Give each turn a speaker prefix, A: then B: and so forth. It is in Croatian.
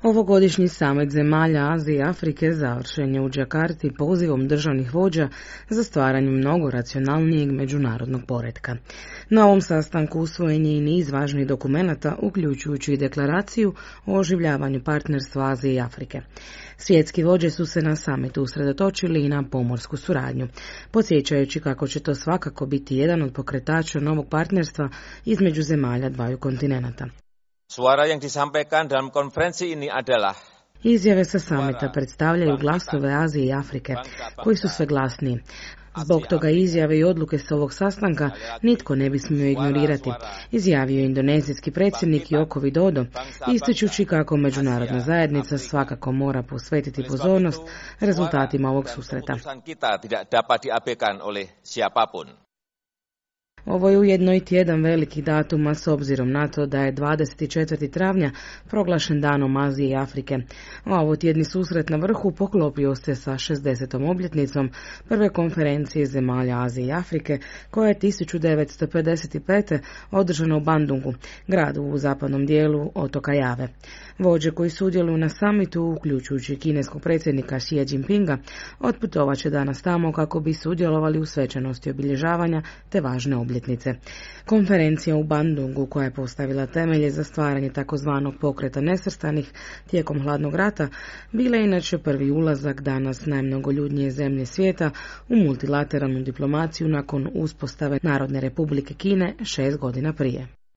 A: Ovogodišnji samit zemalja Azije i Afrike završen je u Džakarti pozivom državnih vođa za stvaranje mnogo racionalnijeg međunarodnog poretka. Na ovom sastanku usvojen je i niz važnih dokumenata, uključujući i deklaraciju o oživljavanju partnerstva Azije i Afrike. Svjetski vođe su se na samitu usredotočili i na pomorsku suradnju, podsjećajući kako će to svakako biti jedan od pokretača novog partnerstva između zemalja dvaju kontinenata.
B: Suara yang disampaikan dalam konferensi ini adalah
A: Izjave sa samita predstavljaju glasove Azije i Afrike, koji su sve glasniji. Zbog toga izjave i odluke sa ovog sastanka nitko ne bi smio ignorirati, izjavio je indonezijski predsjednik Joko Widodo, ističući kako međunarodna zajednica svakako mora posvetiti pozornost rezultatima ovog susreta. Ovo je ujedno i tjedan velikih datuma s obzirom na to da je 24. travnja proglašen danom Azije i Afrike. A ovo tjedni susret na vrhu poklopio se sa 60. obljetnicom prve konferencije zemalja Azije i Afrike, koja je 1955. održana u Bandungu, gradu u zapadnom dijelu otoka Jave. Vođe koji sudjeluju na samitu, uključujući kineskog predsjednika Xi Jinpinga, otputovat će danas tamo kako bi sudjelovali u svečanosti obilježavanja te važne obljetnice. Konferencija u Bandungu, koja je postavila temelje za stvaranje takozvanog pokreta nesvrstanih tijekom hladnog rata, bila je inače prvi ulazak danas najmnogoljudnije zemlje svijeta u multilateralnu diplomaciju nakon uspostave Narodne republike Kine 6 godina prije.